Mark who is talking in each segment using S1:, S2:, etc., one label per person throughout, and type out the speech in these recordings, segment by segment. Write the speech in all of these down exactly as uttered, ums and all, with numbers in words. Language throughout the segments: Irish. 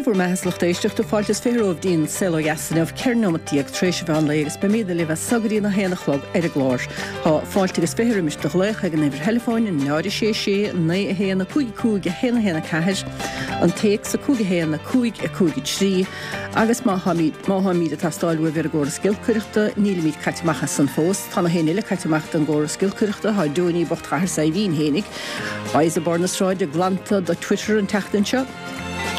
S1: Sé bhur mbeatha, a lucht éisteachta, fáilte is fiche romhaibh dtí'n Saol Ó Dheas inniu, ceithre nóimeat déag tar éis an mheán lae agus beimid libh as so go dtí a haon a chlog ar an gclár. Tá fáilte agus fiche roimis do ghlaoch ag an uimhir theileafóin, náid a sé sé, naoi a haon, a cúig a cúig, a haon a haon a ceathair, an téacs, a cúig a haon, a cúig a cúig a trí, agus má tháimid má tháimid ag teastáil uaibh ar an gcóras giolcaireachta, nílimid caite amach as san fós. Tá na héinne eile caite amach den gcóras giolcaireachta, tá Donie bocht Chathair Saidhbhín fhéinig, Boys barr na sráide glanta do Twitter an tseachtain seo.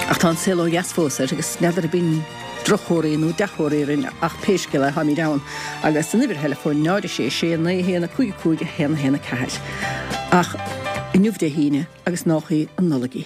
S1: Ach tá an Saol Ó Dheas fós air agus n'fheadar ab in drochthóraí nó dea-thóraí orainn ach pé scéal é táimid ann agus an uimhir theileafóin náid a sé sé naoi a haon a cúig a cúig a haon a haon a ceathair. Ach inniu Dé hAoine agus nách í an Nollaig í.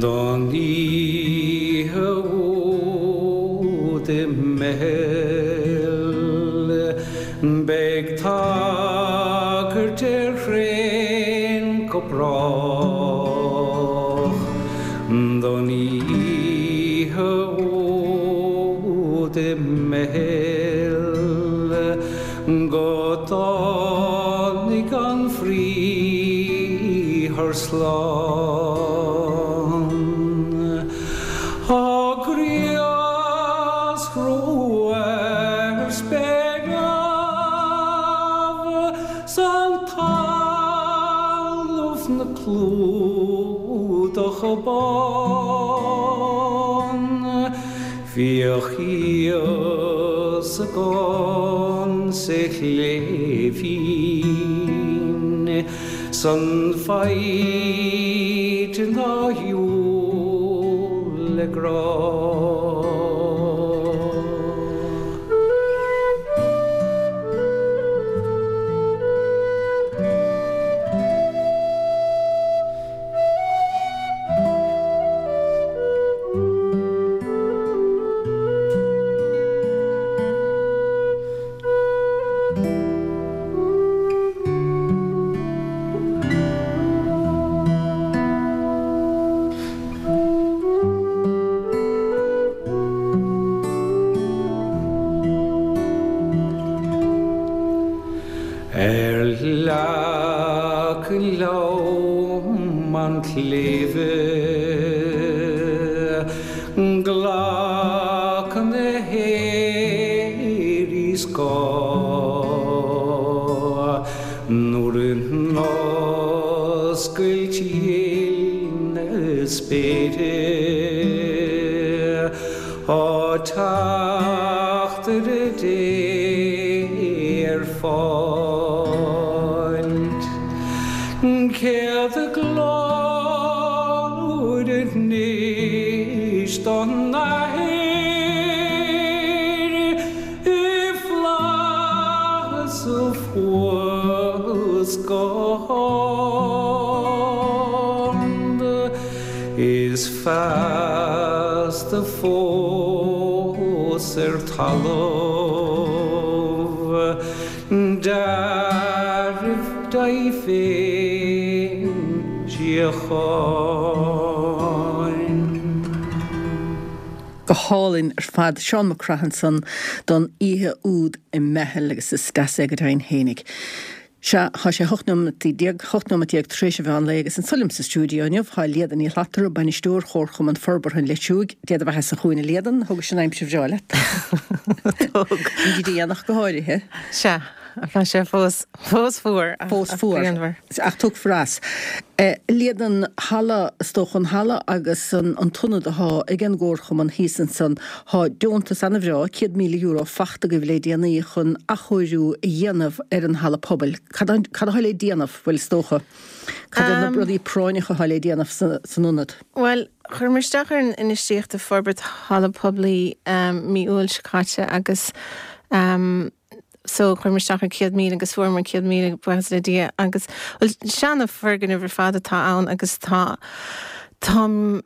S2: Don oíche úd i mBeithil beidh tagairt ar thraein go brách. Don oíche úd i mBeithil go dtáinig an Bhriathar slán. Á ghriaschrú ar spéir neamh 's an talamh 'na clúdach bán, bhíodh Íosagán sa chléibhín 's an mhaighdean á shiúl le grá. Ar leac lom an tsléibhe glacann na haoirí scáth nuair in oscailt ghil na spéire tá teachtaire Dé ar fáilt. Céad glóir anois don Athair i bhflaitheas thuas go hard, is feasta fós ar talamh dealramh daoibh féin síocháin.
S1: Go hálainn ar fad, Seán Mac Craith ansan don oíche úd i mBeithil agus is deas é go deimhin fhéinig. Sea, tá sé hocht nóimeataí déag, hocht nóimeat déag tar éis an mheán lae agus anso liom sa stiúideo inniu tá Líadan Ní Shlatara, Bainisteoir Chomharchumann Forbartha an Leitriúigh. Dé do bheatha-sa chugainn a Líadan, thugais an aimsir bhreá leat.
S3: Thug.
S1: An déanach go háirithe.
S3: Sea, tá sé fós, fós fuar ach,
S1: Fós
S3: ach
S1: fuar.
S3: grianmhar.
S1: Ach tiocfar as. Líadan, halla, is dócha an halla agus an an t-ionad athá ag an gComharchumann thíos ansan, thá deontas ana-bhreá, céad míle euro, fachta agaibh le déanaí chun athchóiriú a dhéanamh ar an halla pobail. Cad cad athá le déanamh, bhuel is dócha, cad iad na rudaí práinneacha athá le déanamh sa san ionad?
S3: Bhuel, chuireamar isteach ar an infheistíocht i forbairt halla poiblí mí Iúil seo caite agus so chuireamar isteach ar céad míle agus fuaireamar céad míle, buíochas le Dia, agus bhuel seana foirgneamh ar fad atá ann agus tá Tá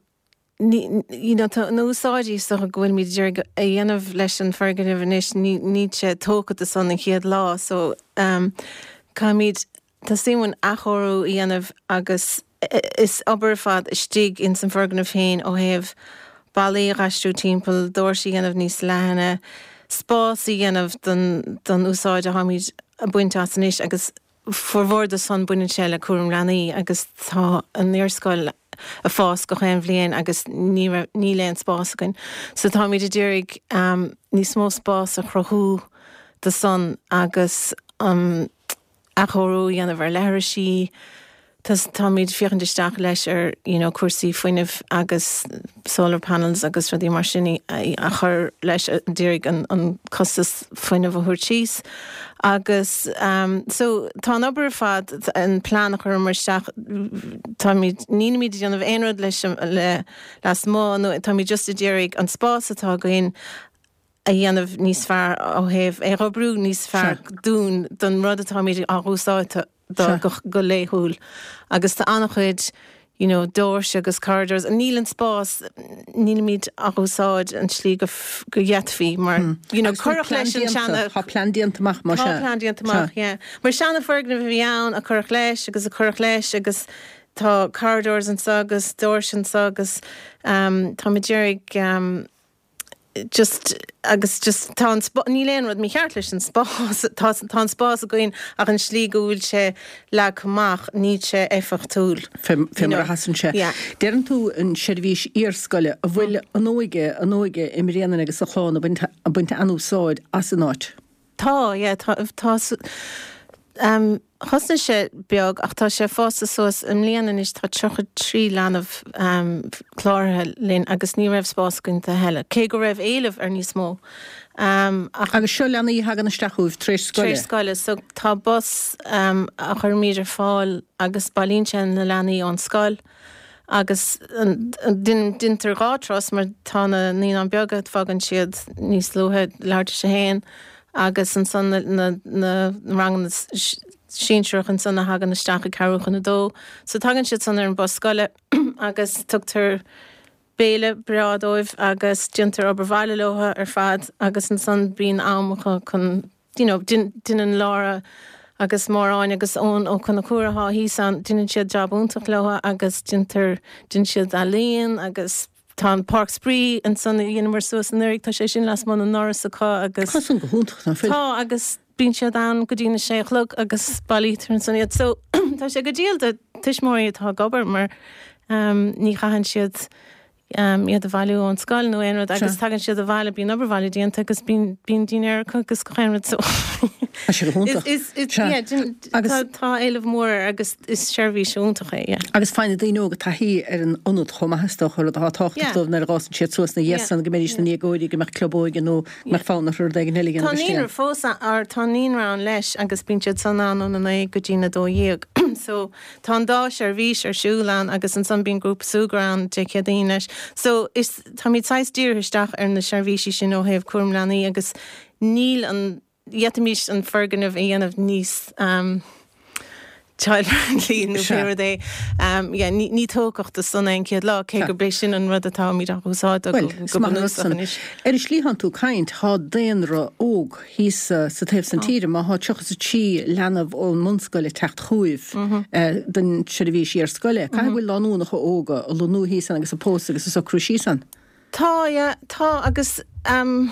S3: you know, tá na úsáidí so go bhfuilimid ag a dhéanamh leis an foirgneamh anois ní ní sé tógtha san an chéad lá so um, caithfimid tá suim athchóiriú a dhéanamh agus is obair fad istigh in san foirgneamh féin ó thaobh ballaí a aistriú timpeall doirse a dhéanamh níos leithne, spás a dhéanamh don don úsáid a tháimid ag baint as anois agus formhór de san baineann sé le cúram leanaí agus tá an iarscoil ag fás gach aon bhliain agus ní níl aon spás againn. So táimid ag iarraidh um, níos mó spás a chruthú do san agus um, athchóiriú a dhéanamh ar leithrisí, táimid féachaint isteach leis ar you know, cúrsaí fuinnimh agus solar panels agus rudaí mar sin a chur leis d'iarraidh an, an costas fuinnimh a thabhairt síos. Agus um, so tá an obair fad an plean a chur mar isteach táimid nílimid ag déanamh aon rud leis le lasmuigh nó táimid just ag iarraidh an spás atá againn a dhéanamh níos fearr ó thaobh é oibriú níos fearr dúinn don rud atáimid á úsáid do go, go laethúil. Agus tá an-chuid you know, doirse agus corridors níl an spás nílimid á úsáid an slí go, go d'fhéadfaí mar hmm. you know, cuireadh leis an seana
S1: Tá plean déanta amach mar
S3: Tá plean déanta amach, yeah. Mar seana foirgneamh a bhí ann a cuireadh leis agus a cuireadh leis agus tá corridors anseo agus doirse anseo agus um, tá muid ag iarraidh um, just agus just tá an níl aon rud mícheart leis an spás tá tá an spás againn ach an slí go bhfuil sé leagtha amach níl sé éifeachtúil.
S1: Fé mar a sheasann sé. Deireann tú an seirbhís iarscoile a bhfuil an óige an óige i mBréanainn agus sa Chlann ag baint an-úsáid as an áit.
S3: Tá yeah, tá tá um, Thosnaigh sé beag ach tá sé fásta suas i mbliana anois tá tríocha trí leanbh um, cláraithe linn agus ní raibh spás againn a thuilleadh. Cé go raibh éileamh ar níos mó.
S1: Um, ach, agus seo leanaí a thagann isteach chugaibh tar éis scoile.
S3: Tar éis scoile, so tá bus um, a chuirimid ar fáil agus bailíonn sé na leanaí ón scoil. agus déantar dhá turas mar tá na naíonáin beaga fágann siad níos luaithe leathuair tar éis a haon agus ansan na, na, na ranganna sinsearach ansan a thagann isteach ag ceathrú chun a dó. So tagann siad san ar an bus scoile agus tugtar béile breá dóibh agus déantar obair bhaile leo ar fad agus ansan bíonn am chun you know, déanann Laura agus Máráin agus ón ó chun na cuatá hí an déanann siad jab iontach leo agus déantar déanann siad ealaín agus tá an páirc spraoi ansan dhéanamar suas anuraidh tá sé sin lasmuigh na ndoras acu agus
S1: Tá san go hiontach ná fuil.
S3: Tá agus bíonn siad ann go dtí na sé a chlog agus bailítear ansan iad. So tá sé go diail do tuismitheoirí atá ag obair mar um, ní chaitheann siad um, iad a bhailiú ón scoil nó aon rud agus tagann siad abhaile bíonn obair bhaile déanta agus bíonn bíonn dinnéar acu agus gach aon rud so.
S1: Tá sé go hiontach.
S3: Is, is, yeah,
S1: Agus-
S3: tá, tá éileamh mór air agus is seirbhís iontach é, yeah.
S1: Agus faigheann na daoine óga taithí ar an ionad chomh maith is dócha rud atá tábhachtach
S3: Yeah.
S1: dóibh nuair a fhásann siad suas na dhésan go mbeidís na ndéagóirí go mbeadh club óige nó go mbeadh fonn orthu rud éigin eile a
S3: Tá
S1: dhéanamh
S3: naíonra
S1: istigh.
S3: fós ar tá naíonra ann leis agus bíonn siad san ann óna naoi go dtí na dó dhéag. So tá an dá seirbhís ar siúl ann agus ansan bíonn grúpa súgartha ann Dé Céadaoin leis. So is táimid saghas dírithe isteach ar na seirbhísí sin ó thaobh cúram leanaí agus níl an d'fhéadfaimis an foirgneamh a dhéanamh níos um, child-friendly nó
S1: Sea.
S3: pé rud é. Um, yeah, ní, ní tógtha do san an chéad lá cé
S1: Sea.
S3: go bé sin an rud atáimid á úsáid go,
S1: Well,
S3: go
S1: is maith an rud
S3: bunúsach
S1: san.
S3: anois.
S1: Ar an slí thánn tú ag caint tá daonra óg thíos uh, sa taobh san tíre má tá tríocha a trí leanbh ón mbunscoil ag teacht chugaibh eh, don seirbhís iarscoile. Caithfidh go bhfuil lánúnacha óga ag lonnú thíos ann agus ag pósadh agus ag socrú síos ann.
S3: Tá yeah, tá agus um,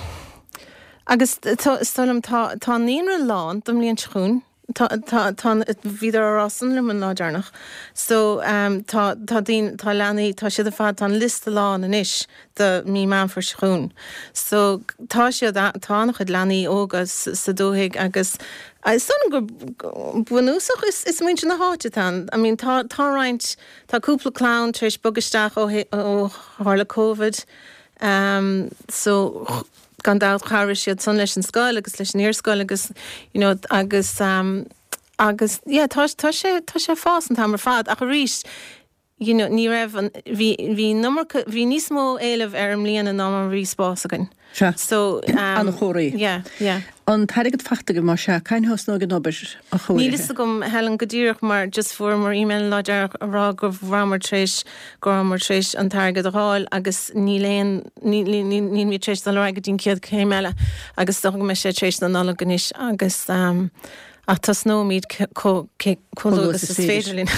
S3: agus tá is dóigh liom tá tá naíonra lán don mbliain seo chugainn. Tá tá tá bhíodar á rá san liom an lá deireanach. So um, tá tá daoine tá leanaí tá siad ar fad tá an liosta lán anois do mí Meán Fómhair seo chugainn. So tá siad tá an-chuid leanaí óga sa dúthaigh agus is dóigh liom go bunúsach is is muintir na háite tá. I mean tá tá roinnt tá cúpla clann tar éis bogadh isteach ó ó tharla COVID. Um, so gan dabht chabhraigh siad san leis an scoil agus leis an iarscoil agus you know, agus um, agus yeah, tá tá sé tá sé fás an t-am ar fad ach arís you know, ní raibh an bhí bhí an iomarca bhí níos mó éileamh ar an mbliana ná mar bhí spás againn.
S1: Sea.
S3: So um,
S1: An-chóir.
S3: Yeah, yeah.
S1: An t-airgead faighte agaibh más ea, cathain a thosnóidh an obair a
S3: Níl
S1: chóirithe?
S3: fhios agam Helen go díreach mar just fuaireamar email lá deireanach a rá go rabhamar tar éis go rabhamar tar éis an t-airgead a fháil agus níl aon níl mé tar éis dul ar aghaidh go dtí an chéad chéim eile agus dócha go mbeidh sé tar éis na Nollag anois agus um, ach tosnóimid chomh luath agus is féidir linn.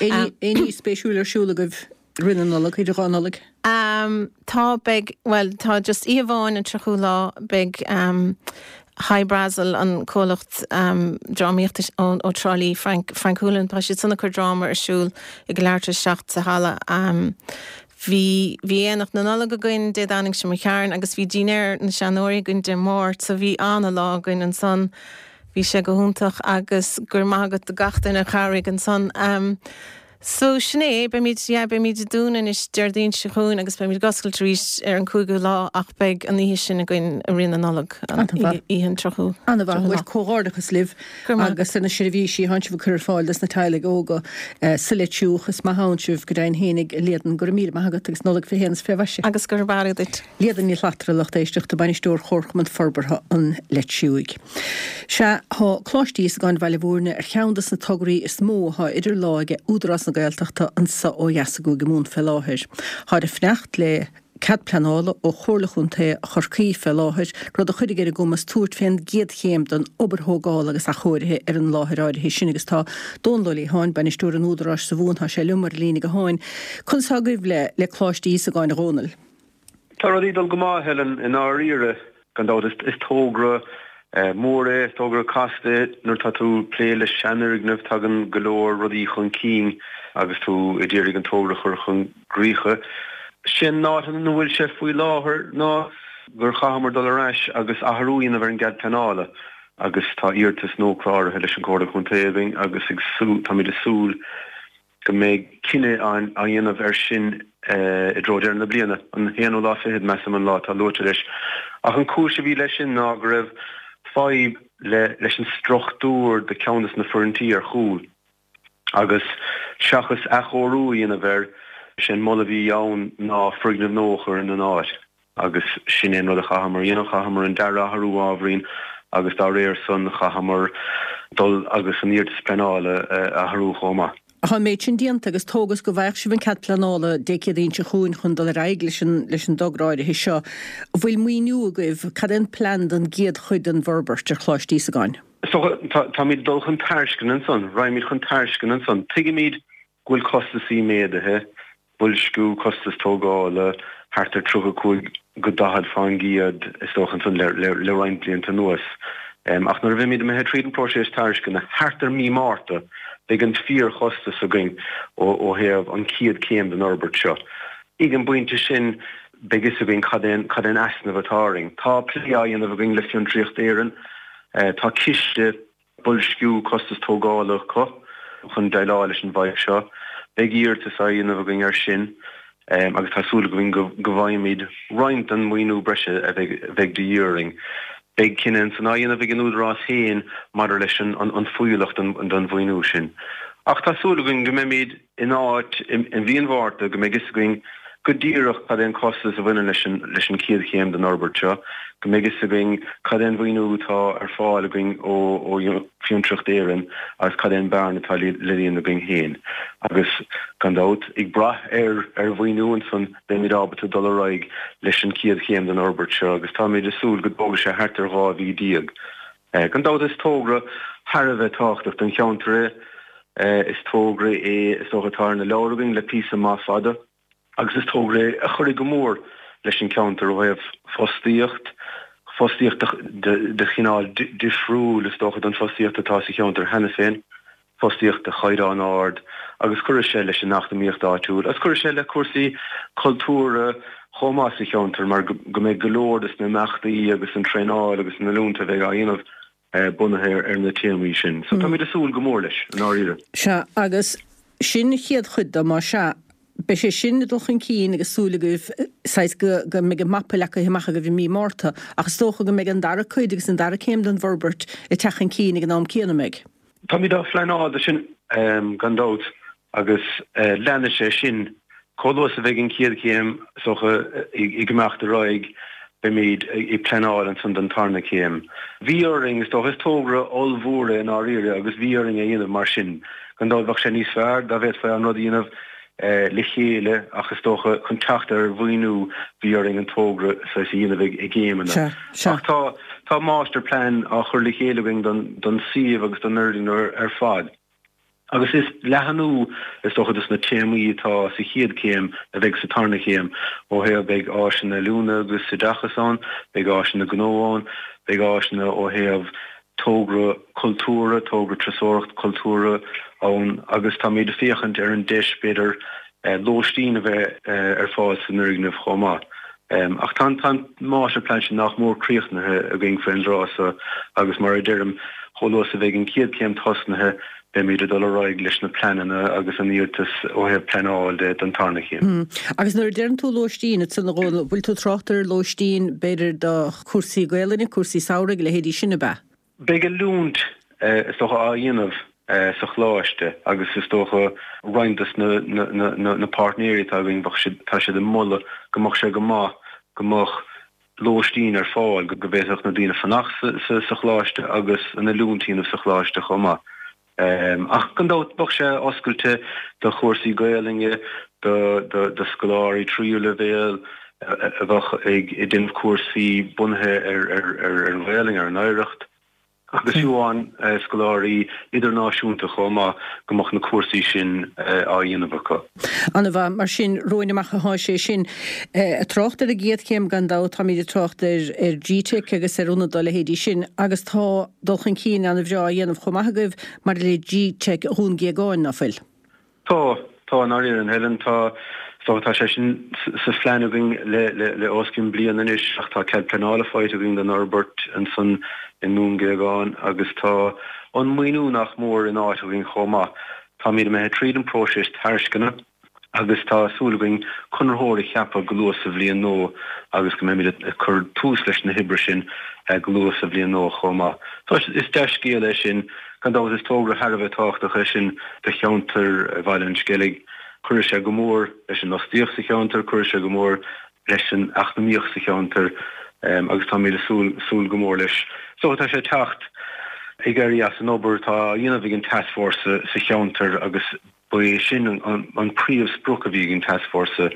S1: Aon ní spéisiúil ar siúl agaibh roimh na Nollag, idir dhá Nollaig?
S3: Um, tá beidh well tá just oíche amháin an tríochú lá beidh um, Hy Brasil an comhlacht um, drámaíochta ó, ó Trá Lí Frank, Frank Hoolan tá siad ag cur dráma ar siúl ag leathuair tar éis seacht sa halla. Um, Bhí bhí aonach na Nollag againn Dé Domhnaigh seo chuaigh agus bhí dinnéar na seanóirí againn Dé Máirt, so bhí an-lá againn ansan bhí sé go hiontach agus gur maith do gach duine a chabhraigh ansan. Um, So sin é beimid yeah, beimid ag dúnadh anois Déardaoin seo chugainn agus beimid ag oscailt arís ar an cúigiú lá ach beidh an oíche sin againn i rith na Nollag
S1: An-mhaith.
S3: oíche an tríochú.
S1: An-mhaith bhfuil comhghairdeachas libh
S3: Go raibh maith
S1: agus na seirbhísí atá sibh ag cur ar fáil dos na teaghlaigh óga eh, sa Leitriúch is maith ann sibh go deimhin fhéinig a Líadan go raibh míle maith agat agus Nollaig fiche haon is fiche mhaise.
S3: Agus gur barra duit.
S1: Líadan Ní Shlattara lucht éisteachta bainisteoir Chomharchumann Forbartha an Leitriúigh. Sea tá Coláiste Íosagáin Bhaile Bhúirne ar cheann des na tograí is mó atá idir lámha ag Údarás na Gaeltachta anseo ó dheas i gCúige Mumhan fé láthair. Tá ag fanacht le cead pleanála ó Chomhairle Chontae Chorcaí fé láthair, rud a chuirfidh ar a gcumas tabhairt fén gcéad chéim den obair thógála agus athchóirithe ar an láthair áirithe sin agus tá Dónal Ó Liatháin bainisteoir an Údaráis sa Mhumhain tá sé liom ar líne gutháin. Conas atá agaibh le le Coláiste Íosagáin a Dhónaill.
S4: Tá rudaí ag dul go maith Helen i ndáiríre gan dabht is, is togra eh, mór é is togra casta nuair tá tú ag plé le seanfhoirgneamh tagann go leor rudaí chun cinn agus tú ag iarraidh an togra chur chun críche. Sin ná an bhfuil sé faoi láthair ná gur chaitheamar dul ar ais agus athrú a dhéanamh ar an gcead pleanála agus tá iarratas nua cláraithe leis an Chomhairle Contae againn agus ag sú táimid ag súil go mbeidh cinneadh á á dhéanamh ar sin eh, i dtreo deireadh na bliana an haonú lá fichead measaim an lá atá luaite leis. Ach an chúis a bhí leis sin ná go raibh fadhb le leis an struchtúr de cheann des na foirgintí ar chúl. Agus seachas athchóiriú a dhéanamh air sin moladh a bhí ann ná foirgneamh nua a chur in an áit. agus sin é an rud a chaitheamar dhéanamh chaitheamar an dearadh a athrú ábhairín agus dá réir san chaitheamar dul agus an iarratas pleanála eh, athrú chomh maith.
S1: Tá méid sin déanta agus tógas go bhfaigheadh sibh an cead pleanála Dé Céadaoin seo chugainn chun dul ar aghaidh leis an leis an dtogra áirithe seo. Bhfuil maoiniú agaibh cad é an plean don gcéad chuid den bhforbairt ar Choláiste Íosagáin.
S4: So táimid dul chun tairisceana ansan, raghaimid chun tairisceana ansan. Tuigimid go bhfuil costasaí méadaithe, boilsciú costas tógála thart ar tríocha cúig go daichead faoin gcéad is dócha ansan le, le, le roinnt blianta anuas. Um, ach nuair a bheimid imithe tríd an próiseas tairisceana thart ar mí Márta, beidh an fíorchostas againn ó, ó thaobh an chéad chéim den fhorbairt seo. Ag an bpointe sin beidh fhios againn cad é cad é an easnamh atá orainn. Tá plé á dhéanamh againn le Fiontraíocht Éireann, uh, tá ciste boilsciú costas tógála acu chun déileáil leis an bhfadhb seo. Beidh iarratas á dhéanamh againn ar sin. Um, agus tá súil againn go go bhfaighimid roinnt den mhaoiniú breise a bheidh bheidh de dhíth orainn. Beidh cinneadh san á dhéanamh ag an Údarás féin maidir leis an an, an fuíollach den, den mhaoiniú sin. Ach tá súil againn go mbeimid in áit in, in mhí an Mhárta go mbeidh fhios againn go díreach cad é an costas a bhaineann leis an leis an chéad chéim den fhorbairt seo, go mbeidh fhios againn cad é an mhaoiniú atá ar fáil againn ó ó Fhiontraíocht Éireann agus cad é an bearna atá le le líonadh againn féin. Agus gan dabht ag brath ar ar mhaoiniú ansan beimid ábalta dul ar aghaidh leis an chéad chéim den fhorbairt seo agus táimid ag súil go dtógfaidh sé thart ar dhá mhí déag. Eh, gan dabht is togra thar a bheith tábhachtach don cheantar é, eh, is togra é is dócha atá ar na leabhair againn le píosa maith fada. agus is togra é a chuirfidh go mór leis an ceantar ó thaobh fostaíocht, fostaíocht de, de chineál difriúil is dócha don fostaíocht atá sa cheantar cheana féin, fostaíocht de chaighdeán ard, agus chuirfidh sé leis an eacnamaíocht áitiúil, agus chuirfidh sé le cúrsaí cultúrtha chomh maith sa cheantar mar go go mbeidh go leor des na imeachtaí agus an traenáil agus na oiliúint a bheidh á dhéanamh eh, bunaithe ar, ar na téamaí sin. So táimid ag súil go mór leis i ndáiríre.
S1: Sea agus sin chéad chuid de má sea Beidh sé sin dul chun cinn agus súil agaibh saghas go go mbeidh an mapa leagtha amach agaibh i mí Márta, ach is dócha go mbeidh an dara cuid agus an dara céim den bhforbairt ag teacht chun cinn ag an am céanna mbeidh.
S4: Táimid á phleanáil sin um, gan dabht Agus leanfaidh sé sin. Chomh luath is a bheidh an chéad chéim is dócha ag imeacht ar aghaidh, beimid ag pleanáil ansan don tarna céim. Bhí orainn, is dócha, is togra ollmhór é i ndáiríre agus bhí orainn é a dhéanamh mar sin. Gan dabht bheadh sé níos fearr dá bhféadfaí an rud a dhéanamh le chéile ach is dócha chun teacht ar mhaoiniú bhí orainn an togra saghas a dhéanamh i gcéimeanna. Ach tá tá master plan á chur le chéile againn don don suíomh agus don fhoirgneamh ar fad. Agus is leathnú is dócha dos na téamaí atá sa chéad chéim a bheidh sa tarna chéim ó thaobh beidh áiseanna oiliúna agus oideachais ann, beidh áiseanna gnó ann, beidh áiseanna ó thaobh togra cultúrtha, togra turasóireacht cultúrtha ann agus táimid ag féachaint ar an deis b'fhéidir lóistín a bheith ar fáil san fhoirgneamh chomh maith. Ach tá an máistirphlean sin nach mór críochnaithe againn faoin dtráth so agus mar a deirim, chomh luath is a bheidh an chéad chéim tosnaithe, beimid ag dul ar aghaidh leis na pleananna agus an iarratas ó thaobh pleanáil de don tarna chéim.
S1: Agus nuair a deireann tú lóistín, ansan a Dhónaill, bhfuil tú ag trácht ar lóistín b'fhéidir do chúrsaí Gaelainne, cúrsaí samhraidh, a leithéidí sin ab ea?
S4: Beidh oiliúint is dócha á dhéanamh sa choláiste agus is dócha roinnt dos na páirtnéirí atá againn bheadh siad, tá siad ag moladh go mbeadh sé go maith go mbeadh lóistín ar fáil, go bhféadfadh na daoine fanacht sa choláiste agus an oiliúint a dhéanamh sa choláiste chomh maith. Ach gan dabht bheadh sé oscailte do chúrsaí Gaelainne, do scoláirí tríú leibhéal a bheadh ag déanamh cúrsaí bunaithe ar an Ghaelainn, ar an oidhreacht. Agus fiú amháin scoláirí idirnáisiúnta chomh maith, go mbeadh na cúrsaí sin á dhéanamh acu.
S1: An-mhaith. Mar sin, romhainn amach atá sé sin. Ag trácht ar an gcéad chéim, gan dabht, táimid ag trácht ar GTeic agus ar ionad dá leithéidí sin agus tá dul chun cinn an-bhreá á dhéanamh chomh maith agaibh maidir le GTeic Dhún Géagáin, ná fuil?
S4: Tá, tá, i ndáiríre, a Helen, tá, is dócha, tá sé sin sa phlean againn le, le, le os cionn bliain anois ach tá cead pleanála faighte againn don fhorbairt ansan i nDún Géagáin agus tá an maoiniú nach mór in áit againn chomh maith. Táimid imithe tríd an próiseas tairisceana agus tá súil againn conraitheoir a cheapadh go luath sa bhliain nua agus go mbeimid ag cur tús leis na hoibre sin go luath sa bhliain nua chomh maith. So is dea-scéal é sin. Gan dabht is togra thar a bheith tábhachtach é sin do cheantar Bhaile an Sceilg. Cuirfidh sé go mór leis an fhostaíocht sa cheantar, cuirfidh sé go mór leis an eacnamaíocht sa cheantar agus táimid ag súil súil go mór leis. So tá sé ag teacht ag éirí as an obair atá á dhéanamh ag an tascfhórsa sa cheantar agus ba é sin an príomhsprioc a bhí ag an tascfhórsa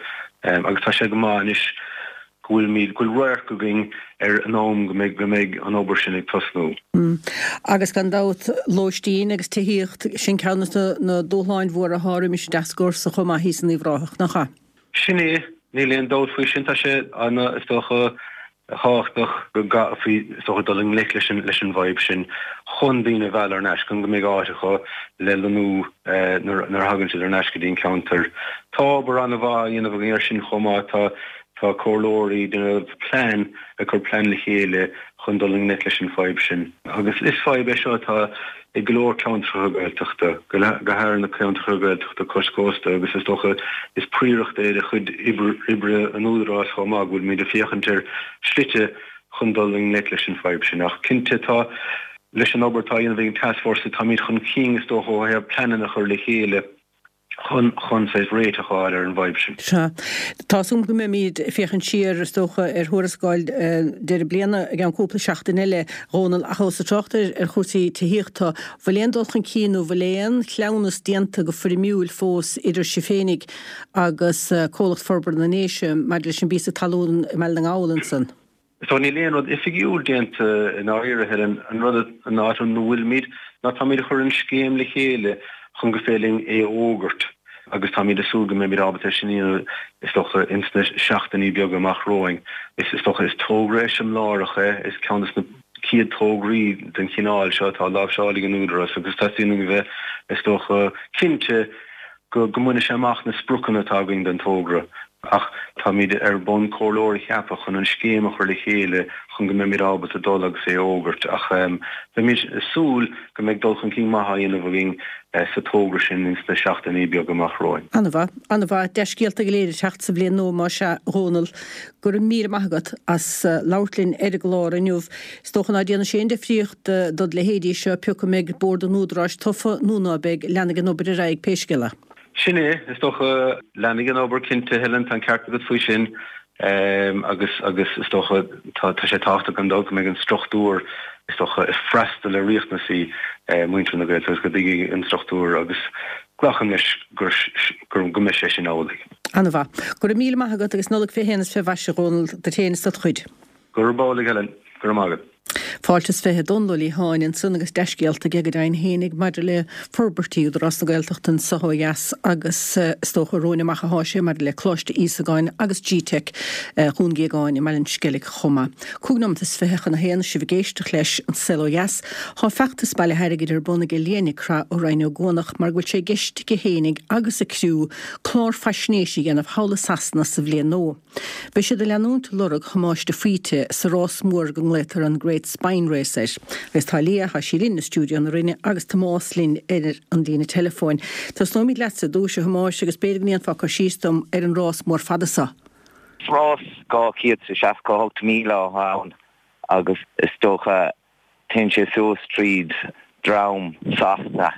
S4: agus tá sé go maith anois go bhfuilimid, go bhfuil radharc againn ar an am go mbeidh, go mbeidh an obair sin ag tosnú.
S1: Agus gan dabht, lóistín agus tithíocht, sin ceann de na dúshláin mhóra atá roimis an dtascfhórsa chomh maith thíos in Uíbh Ráthach, nach ea?
S4: Sin é, níl aon dabht faoi sin. Tá sé ana, is dócha, thábhachtach go gcaithfí, is dócha, dul i ngleic leis an, leis an bhfadhb sin chun daoine a mhealladh thar n-ais, chun go mbeidh áit acu le lonnú nuair, nuair a thagann siad thar n-ais go dtí an ceantar. Tá obair an-mhaith á dhéanamh againn air sin chomh maith. Tá. Tá comhairleoirí ag déanamh plean, ag cur plean le chéile chun dul i ngleic leis an bhfadhb sin. Agus is fadhb é seo atá i go leor ceantracha Gaeltachta, go háirithe na ceantracha Gaeltachta cois cósta agus is dócha is príoracht é de chuid oibre an Údaráis chomh maith go bhfuilimid ag féachaint ar shlite chun dul i ngleic leis an bhfadhb sin. Ach cinnte tá, leis an obair atá á dhéanamh ag an Tascfhórsa, táimid chun cinn is dócha ó thaobh pleananna a chur le chéile. chun chun saghas réiteach a fháil ar an bhfadhb sin.
S1: Sea. Tá súil agam go mbeimid ag féachaint siar, is dócha, ar thuarascáil deireadh bliana i gceann cúpla seachtain eile, a Dhónaill, ach ós ag trácht ar chúrsaí tithíochta, bhfuil aon dul chun cinn nó bhfuil aon chleamhnas déanta go foirmiúil fós idir sibh féinig agus Comhlacht Forbartha na nDéise maidir leis an bpíosa talún i mBaile na nGall ansan?
S4: So níl aon rud oifigiúil déanta i ndáiríre, Helen. An rud, an áit ina bhfuilimid ná táimid ag cur an scéim le chéile chun go féidir linn é a fhógairt agus táimid ag súil go mbeimid ábalta é sin a dhéanamh is dócha ins na seachtainí beaga amach romhainn. Is is dócha is togra eiseamláireach é, is ceann de na chéad tograí den chineál seo atá láimhseáilte ag an Údarás agus teastaíonn uainn a bheith is dócha cinnte go mbainfidh sé amach na spriocanna atá againn don togra ach táimid ar bun comhairleoir a cheapadh chun an scéim a chur le chéile chun go mbeimid ábalta dul agus é a fhógairt ach beimid ag súil go mbeidh dul chun cinn maith á dhéanamh againn sa togra sin ins na seachtainí beaga amach romhainn.
S1: An-mhaith, an-mhaith. Dea-scéalta go léir ag teacht sa bhliain nua más ea, a Dhónaill. Go raibh míle maith agat as labhairt linn ar an gclár inniu. Is dócha ná déanfaidh sé aon difríocht dod leithéidí seo pé acu an mbeidh Bord an Údaráis tofa nó ná beidh, leanfaidh an obair ar aghaidh pé scéal é.
S4: Sin é, is dócha leanfaidh an obair cinnte Helen tá an ceart agat faoi sin um, agus agus is dócha tá tá sé tábhachtach gan dabht go mbeidh an struchtúr is dócha ag freastal ar riachtanaisí uh, muintir na Gaeltachta go dtuigfidh an struchtúr agus glacaim leis gur gur go mbeidh sé sin amhlaidh.
S1: An-mhaith. Go raibh míle maith agat agus Nollaig fé shéan is fé mhaise a Dhónaill duit féin is dod chuid.
S4: Gurb amhlaidh Helen, go raibh maith agat.
S1: Fáilte is fiche Dónal Ó Liatháin ansan agus dea-scéalta aige go deimhin fhéinig maidir le forbairtí Údarás na Gaeltachta anseo ó dheas agus eh, is dócha romhainn amach atá sé maidir le Coláiste Íosagáin agus G-Tech eh, Dhún Géagáin i mBaile an Sceilg chomh maith. Cúig nóiméad is fiche chun a haon sibh ag éisteacht leis an Saol Ó Dheas, Tá feachtas bailithe airgid ar bun ag Leah Nic Craith ó Rinn Ó gCuanach mar go bhfuil sé i gceist aici fhéinig agus a criú clár faisnéise a dhéanamh thall i Sasana sa bhliain nua. Beidh siad ag leanúint lorg Thomáis de Faoite sa rás mór go nglaotar an Great Spine Race air. Agus tá Leah tá sí linn i stiúideo na Rinne agus Tomás linn ar an líne teileafóin. Tosnóimid leatsa ar dtús a Thomáis agus b'fhéidir go ndéanfá cur síos dom ar an rás mór fada seo.
S5: Rás dhá chéad is seasca hocht míle ann agus is dócha téann sé suas tríd droim Sasana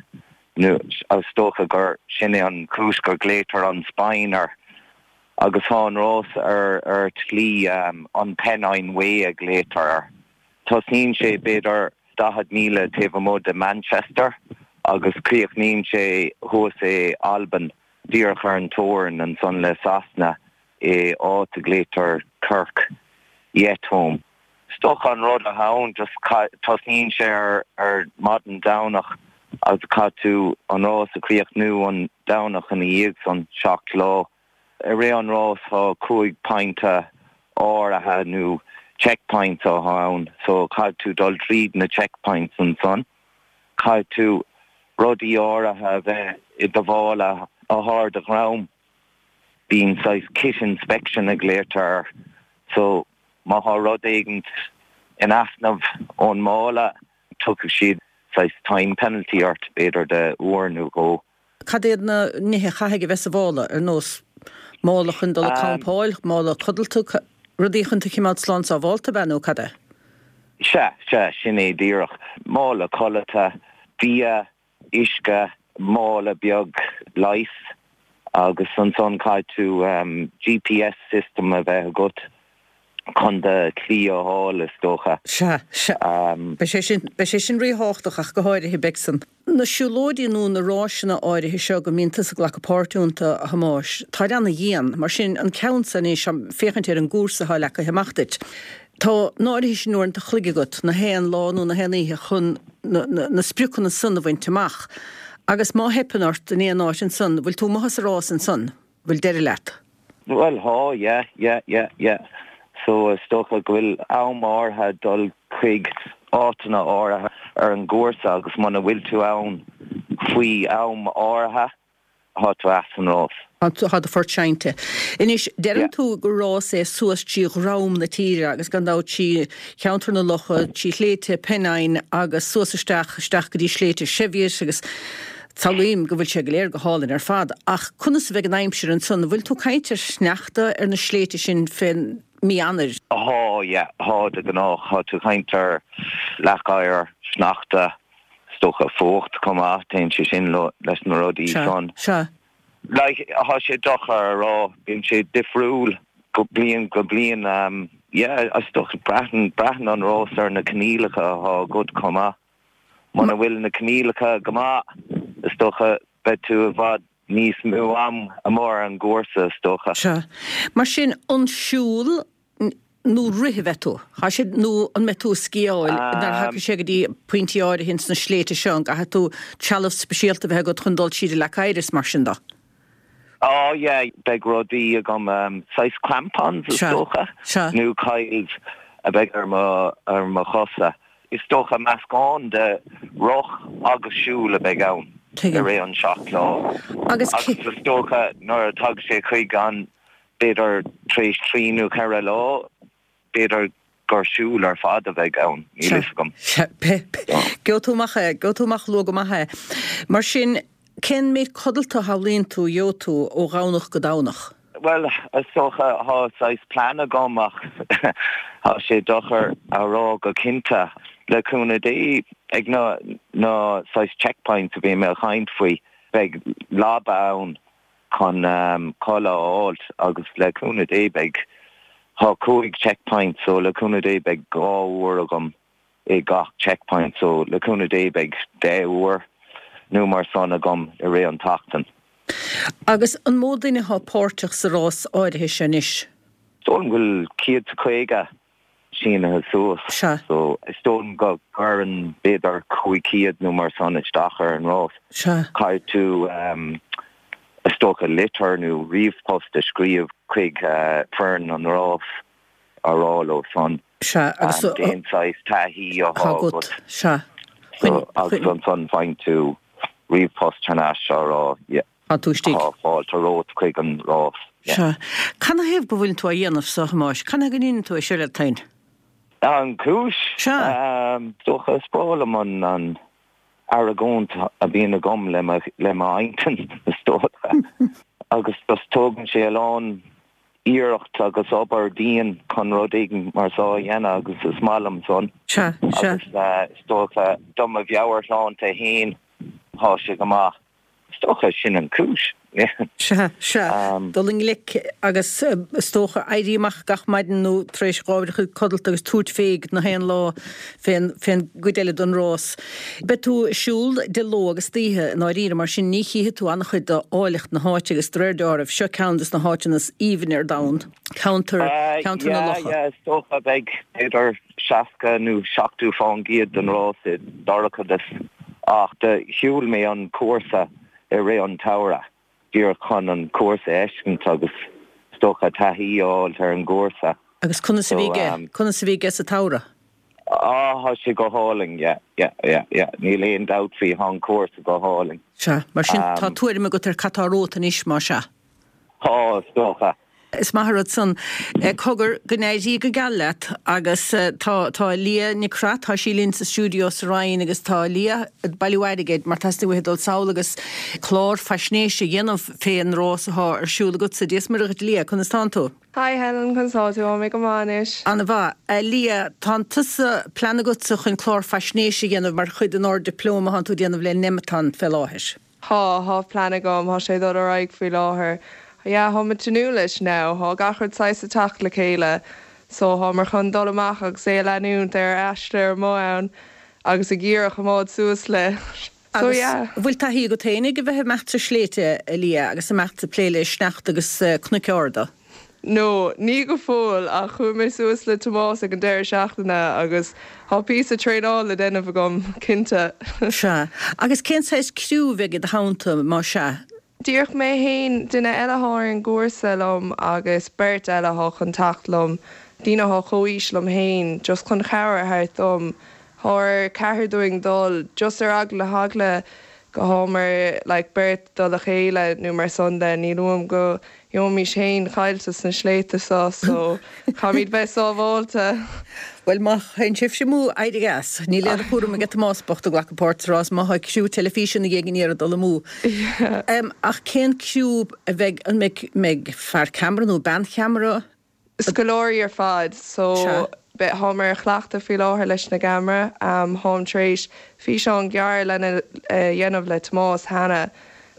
S5: nó is dócha gur sin é an chúis gur glaotar an Spine air agus tá an rás ar ar tslí um, an Pennine Way a glaotar air. Tosnaíonn sé b'fhéidir daichead míle taobh amuigh de Manchester agus críochnaíonn sé thuas i Albain díreach ar an teorainn ansan le Sasana i áit a glaotar Kirk Yetholm. Is dócha an rud atá ann just tosnaíonn sé ar ar maidin Domhnach agus caithfidh tú an rás a chríochnú an Domhnach ina dhiaidh san seacht lá. I rith an rás tá cúig pointe áirithe nó checkpoints atá ann, so caithfidh tú dul tríd na checkpoints ansan. Caithfidh tú rudaí áirithe a bheith i do mhála ar do dhroim. Bíonn saghas kit inspection a glaotar, so má tá rud éigin in easnamh ón mála tiocfaidh siad saghas time penalty ort b'fhéidir de uair nó dhó.
S1: Cad iad na nithe a chaithfidh a bheith sa mhála ar nós mála chun dul
S5: Um,
S1: campáil, mála codlata, rudaí chun tú a choimeád slán sábháilte b'ea nó cad é?
S5: Se se sin é díreach mála codlata, bia, uisce, mála beag leighis agus ansan caithfidh tú um, GPS system a bheith agat chun do shlí a fháil is dócha.
S1: Se se
S5: Um,
S1: Beidh sé sin beidh sé sin ríthábhachtach ach go háirithe b'fhéidir. Na siúlóidí nó na rásanna áirithe seo go mbíonn tusa ag glacadh páirt iontu a Thomáis, Tá an-dhian, mar sin an ceann san é sem féachaint ar an gcúrsa atá leagtha amach duit. Tá an áirithe sin uaireanta an chloig agat na haon lá nó na haon oíche chun na, na, na spriocanna san a bhaint amach. Agus má theipeann ort in aon áit ansan, bhfuil tú amuigh as an rás ansan, bhfuil deireadh leat.
S5: Well tá yeah yeah yeah yeah. So is dócha go bhfuil am áirithe dul chuig áiteanna áirithe ar an gcúrsa agus muna bhfuil tú ann faoi am áirithe tá tú as an rás.
S1: Tá do phort seinnte. Anois deireann
S5: Yeah.
S1: tú gur rás é suas trí dhroim na tíre agus gan dabht trí cheantar na locha, trí shléibhte Pennine agus suas isteach isteach go dtí sléibhte Cheviot agus samhlaím go bhfuil sé go léir go hálainn ar fad, ach conas a bheidh an aimsir ansan, bhfuil tú ag caint ar sneachta ar na sléibhte sin fén mí Eanáir.
S5: Tá yeah tá de ghnáth tá tú ag caint ar leac oighir sneachta is dócha fuacht chomh maith téann sé sin lo leis na rudaí san.
S1: Se
S5: Like tá sé deacair a rá bíonn sé difriúil go bliain go bliain um, yeah is dócha braitheann braitheann an rás ar na coinníollacha atá agat chomh maith. Muna bhfuil na coinníollacha go maith is dócha beidh tú i bhfad níos mó am amuigh ar an gcúrsa is dócha.
S1: Se. Mar sin an siúl n- nó rith a bheidh tú. Tá sé nó an mbeidh tú ag sciáil
S5: Um,
S1: nar thaca sé go dtí pointí áirithe sna sléibhte seo an gcaithfidh tú trealamh speisialta bheith agat chun dul tríd an leac oighir is mar sin de.
S5: Oh yeah, beidh rudaí agam um, saghas crampons is
S1: Se,
S5: dócha
S1: se.
S5: nó KILTs a bheidh ar mo ar mo chosa. Is dócha meascán de rith agus siúl a bheidh ann
S1: Tuigim.
S5: i rith an seacht lá.
S1: Agus
S5: Agus is dócha nuair a tag sé chuig an b'fhéidir tar éis trí nó ceithre lá, b'fhéidir gur siúl ar fad a bheidh ann níl a fhios agam.
S1: Go tú go tú amach luath go maith é. Mar sin cén méid codlata a shamhlaíonn tú gheobhaidh tú ó Dhomhnach go Domhnach.
S5: Well is dócha tá saghas plean agam ach tá sé deacair a rá go cinnte le cúnamh Dé ag na na saghas checkpoints a bhí mé ag caint faoi beidh leaba ann chun um, codladh a fháilt agus le cúnamh Dé beidh tá cúig checkpoint so le cúnamh Dé beidh dhá uair agam i gach checkpoint so le cúnamh Dé beidh deich uair nó mar san agam i rith an tseachtain.
S1: Agus an mó duine atá páirteach sa rás áirithe sin anois?
S5: Dóigh liom go bhfuil céad caoga sínithe suas so is dóigh liom go gcuireann b'fhéidir cúig chéad nó mar san isteach ar an rás. Caithfidh tú um, is dócha litir nó ríomhphost a scríobh chuig uh, foireann an rás á rá leo san.
S1: Sea agus
S5: um, cén saghas taithí atá
S1: agat sea.
S5: agus ansan faigheann tú ríomhphost thar n-ais á rá
S1: Tá tú istigh.
S5: Tá fáilte romhat chuig an rás.
S1: Sea. Canathaobh go bhfuil tú á dhéanamh so a Thomáis, Canathaobh go ndéanann tú é seo leat féin?
S5: An cúis
S1: Sea.
S5: Dócha is breá liom an an argóint a bhíonn agam le le m'intinn is dócha. agus just tógann sé a lán iarracht agus obair dian chun rud éigin mar seo a dhéanamh agus is maith liom san.
S1: Sea, sea.
S5: Agus uh, is dócha do mo mheabhairshláinte féin tá sé go maith. Is dócha sin an cúis.
S1: Sea, sea. Dul i ngleic agus is dócha éirí amach gach maidin nó tar éis dhá uair a chloig codlata agus tabhairt fé na haon lá fén fén gcuid eile den rás. Beidh tú ag siúl de ló agus d'oíche i ndáiríre mar sin ní chífidh tú an-chuid d'áilleacht na háite agus de réir dealraimh seo ceann des na háiteanna is aoibhne ar domhan. Ceantar ceantar na
S5: locha. Yeah, is dócha beidh b'fhéidir seasca nó seachtó fán gcéad den rás i dorchadas ach do shiúil mé an cúrsa i rith an tsamhraidh, díreach chun an cúrsa a fheiscint agus is dócha taithí a fháil ar an gcúrsa.
S1: Agus conas a bhí aige, conas a bhí aige sa tsamhradh?
S5: Á, tá sé go hálainn, yeah, yeah, yeah, yeah, níl aon dabht faoi, tá an cúrsa go hálainn.
S1: Sea, mar sin tá tuairim agat ar cad tá romhat anois, más ea?
S5: Tá, is dócha.
S1: Is maith an rud san. Cogar, go n-éirí go geal leat agus tá tá Leah Nic Craith, tá sí linn sa stiúideo sa Rinn agus tá Leah ag bailiú airgid mar teastaíonn uaithi dul sall agus clár faisnéise a dhéanamh fén rás atá ar siúl agatsa. Dia is Muire dhuit Leah, conas tánn tú?
S6: Hi Helen, conas tá tú? Tá mé go maith anois.
S1: Ana-mhaith. Leah, tá tusa plean agatsa chun clár faisnéise a dhéanamh mar chuid den Ard-Dioplóma atánn tú a dhéanamh le Nemeton fé láthair.
S6: Tá, tá plean agam, tá sé ag dul ar aghaidh faoi láthair. Yeah, tá mé ag tnúth leis now, tá gach rud saghas ag teacht le chéile so táimid chun dul amach agus é a leanúint ar aistear amuigh ann agus ag iarraidh coimeád suas le so
S1: Agus
S6: yeah.
S1: bhfuil taithí agat féinig a bheith ag imeacht sna sléibhte, a Leah, agus imeacht ag plé le sneachta agus cnoic arda?
S6: No, ní go fóill ach chuaigh mé suas le Tomás ag an deireadh seachtaine agus tá píosa traenáil le déanamh agam, cinnte.
S1: Sea. Agus cén saghas criú a bheidh i do theannta, más ea?
S6: Díreach mé fhéin, duine eile athá ar an gcúrsa liom agus beirt eile athá chun teacht liom, daoine athá chomh-aois liom fhéin, just chun cabhair a thabhairt dom. Thá ar ceathrar dúinn dul, just ar eagla na heagla go thámar like beirt dul le chéile nó mar san de, níl uaim go gheobhaimis fhéin caillte sna sléibhte so, so caithfimid bheith sábháilte.
S1: Bhuel, má théann sibhse amú, éirigh as. Níl aon chúram aige Tomás bocht ag glacadh páirt sa rás má tá criú teilifíse ina dhiaidh in iarraidh dul amú. Ach cén criú a bheidh, an mbeidh, mbeidh fear ceamara nó bean cheamara?
S6: Scoláirí ar fad, so beidh, thámar ag cleachtadh faoi láthair leis na gceamara. Tháim tar éis físeán gearr lena dhéanamh le Tomás cheana,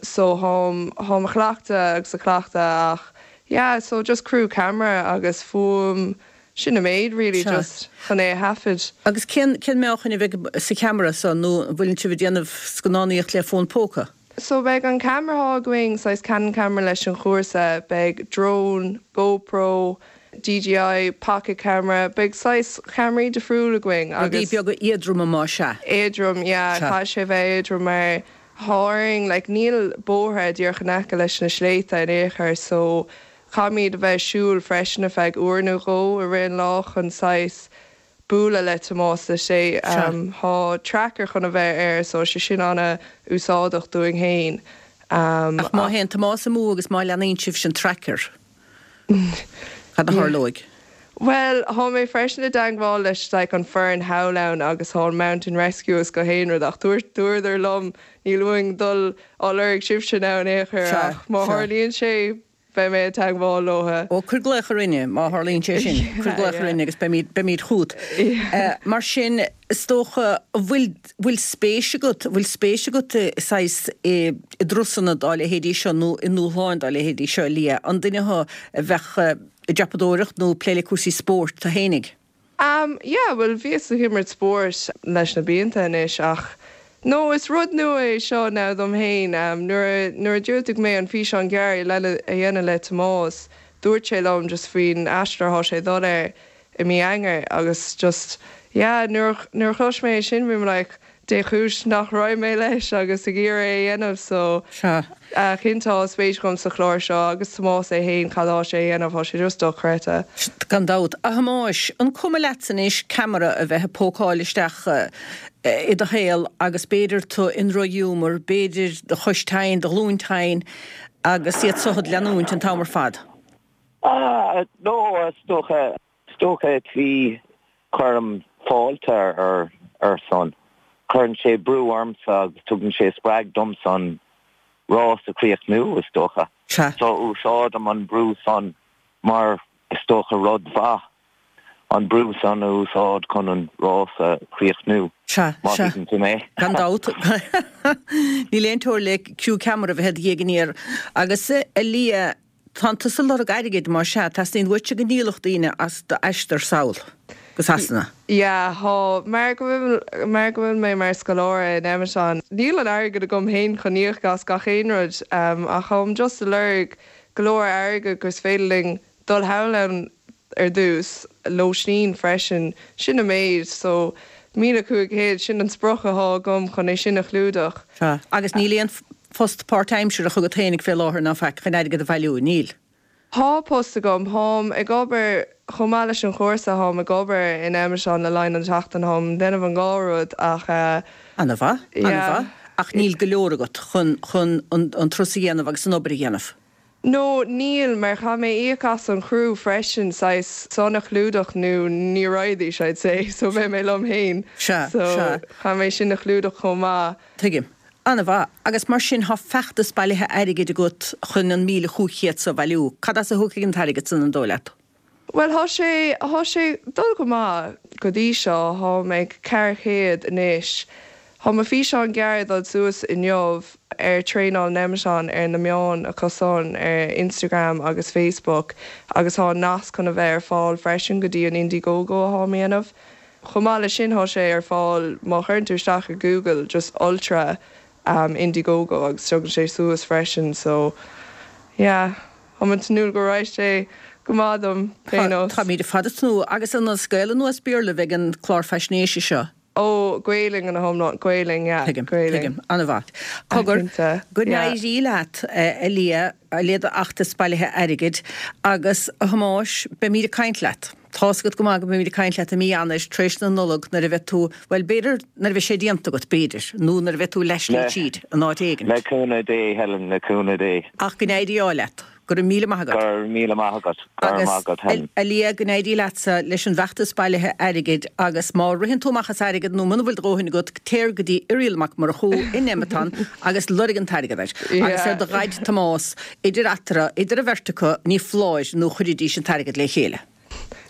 S6: so tháim, tháim ag cleachtadh agus ag cleachtadh ach yeah, so just criú ceamara agus fuaim, Sin an méid really just chun é a thaifead.
S1: Agus cén cén meáchan a bheidh sa cheamara so nó an bhfuileann sibh ag déanamh scannánaíocht le fón póca?
S6: So beidh an ceamara athá againn, saghas Canon camera leis an chúrsa, beidh drone, GoPro, DJI pocket camera, beidh saghas ceamaraí difriúil againn
S1: Rudaí
S6: agus.
S1: beaga éadroma más ea.
S6: Éadrom, yeah,
S1: Sea.
S6: caithfidh sé bheith éadrom mar thá orainn, like níl bóithre díreach in aice leis na sléibhte in aon chor so Caithfimid a bheith ag siúl freisin ar feadh uair nó dhó i rith an lá chun saghas bualadh le Tomás le sé. Thá tracker chun a bheith air so sé sin ana-úsáideach dúinn fhéin.
S1: Ach má théann Tomás amú agus má leanaíonn sibhse an tracker, cad a tharlóidh?
S6: Bhuel, thá mé freisin i dteangmháil leis like an foireann thall ann agus thá an Mountain Rescue is gach aon rud ach dúirt dúradar liom níl uainn dul á lorg sibhse now in aon chor
S1: Sea,
S6: ach má
S1: sea.
S6: tharlaíonn sé beidh mé ag teagmháil leo.
S1: Ó, cuir glaoch orainne má tharlaíonn sé sin. Cuir glaoch orainne agus beimid, beimid chugat. Mar sin, is dócha, an bhfuil, bhfuil spéis agat, bhfuil spéis agat i saghas i dturasanna dá leithéidí seo nó i ndúshláin dá leithéidí seo, a Lia? An duine thú a bheadh ag dreapadóireacht nó ag plé le cúrsaí spóirt tú fhéinig?
S6: Um yeah, bhuel bhíos ag imirt spóirt leis na blianta anois ach no is rud nua é seo now dom fhéin. Um nuair a nuair a dhiúltaigh mé an físeán gearr le a dhéanamh le Tomás dúirt sé liom just faoin aistear atá sé ag dul air i mí Eanáir agus just yeah nuair nuair a chlois mé é sin bhí mé like Dé chúis nach raibh mé leis agus ag iarraidh é a dhéanamh so
S1: Sea.
S6: cinnte tá spéis agam sa chlár seo agus Tomás é fhéin cad tá sé a dhéanamh tá sé just dochreidte.
S1: Gan dabht. A Thomáis, an cuma leatsa anois ceamara a bheith ag pócáil isteach i do shaol agus b'fhéidir tú i ndrochghiúmar, b'fhéidir do chois tinn, do ghlúin tinn agus iad so a'd leanúint an t-am ar fad?
S5: Ah, no, is dócha, is dócha trí cuirim fáilte ar ar son. Cuireann sé brú ormsa agus tugann sé spreag domsa an rás a chríochnú, is dócha.
S1: Sea.
S5: So úsáidim an brú san mar is dócha rud mhaith, an brú san a úsáid chun an rás a chríochnú.
S1: Sea,
S5: Má
S1: sea.
S5: thuigeann tú mé.
S1: Gan dabht. Níl aon teoir le criú ceamara a bheith i do dhiaidh aniar. Agus a Lia, Tánn tusa ag lorg airgid, más ea, teastaíonn uaitse go ndíolfadh daoine as d'aistear sall go Sasana.
S6: Yeah, thá, mar go bhfuil, mar go bhfuil mé mar scoláire in Nemeton, níl an airgead agam féin chun íoc as gach aon rud, ach táim just ag lorg go leor airgead gur féidir linn dul thall ann ar dtús, lóistín freisin, sin an méid, so míle cúig chéad, sin an sprioc athá agam chun é sin a chlúdach.
S1: Sea, agus níl aon Post páirtaimseartha agat fhéinig fé láthair ná faic chun airgead a bhailiú, níl.
S6: Thá post agam, tháim ag obair, chomh maith leis an chúrsa tháim ag obair in Nemeton le linn an tseachtain, tháim déanamh an dhá rud ach eh.
S1: Ana-mhaith,
S6: yeah.
S1: ana-mhaith. Ach níl go leor agat chun, chun an, an turas a dhéanamh agus an obair a dhéanamh.
S6: No, níl, mar chaithfidh mé íoc as an chriú freisin, saghas san a chlúdach nó ní raghaidís, I'd say, so beidh mé liom fhéin.
S1: Sea,
S6: So
S1: sea.
S6: chaithfidh mé sin a chlúdach chomh maith.
S1: Tuigim. Ana-mhaith. Agus mar sin thá feachtas bailithe airgid agat chun an míle chúig chéad so a bhailiú. Cad as a thiocfaidh an t-airgead san an dóigh leat?
S6: Bhuel thá sé, thá sé dul go maith go dtí seo, tháim ag ceithre chéad anois. Thá mo físeán gearr ag dul suas inniu ar Traenáil Nemeton ar na meáin acu san ar Instagram agus Facebook agus thá nasc chun a bheith ar fáil freisin go dtí an Indiegogo atháim a dhéanamh. Chomh maith leis sin thá sé ar fáil má chuireann tú isteach i Google just Ultra um Indiegogo agus tugann sé suas freisin so yeah táim ag tnúth go raghaidh sé go maith dom pé nós.
S1: Táimid ar fad ag tnúth agus an as Gaelainn nó as Béarla a bheidh an clár faisnéise seo?
S6: Ó Gaelainn ina hiomlán, Gaelainn yeah,
S1: Tuigim,
S6: Gaelainn.
S1: tuigim, an-mhaith. Cogar,
S6: Cinnte,
S1: go
S6: yeah.
S1: n-éirí leat a Lia, le d'fheachtas bailithe airgid agus a Thomáis, beimid ag caint leat. Tá's agat go maith go mbeimid ag caint leat i mí Eanáir tar éis na Nollag nuair a bheidh tú, bhuel, b'fhéidir nuair a bheidh sé déanta agat, b'fhéidir, nó nuair a bheidh tú leathshlí tríd, in áit éigin.
S5: Le cúnamh Dé, Helen, le cúnamh Dé.
S1: Ach go n-éirí ádh leat. Go raibh míle maith agat.
S5: Go raibh míle maith agat. Go raibh maith agat, Helen.
S1: Agus, a Lia, go n-éirí leatsa leis an bhfeachtas bailithe airgid agus má ritheann tú amach as airgead nó muna bhfuil do dhóthain agat, téir go dtí Irial Mac Murchú i Nemeton agus lorg an t-airgead air. Agus ar do dhaid Tomás, idir eatarthu, idir an bheirt acu, ní foláir nó chuirfidís an t-airgead le chéile.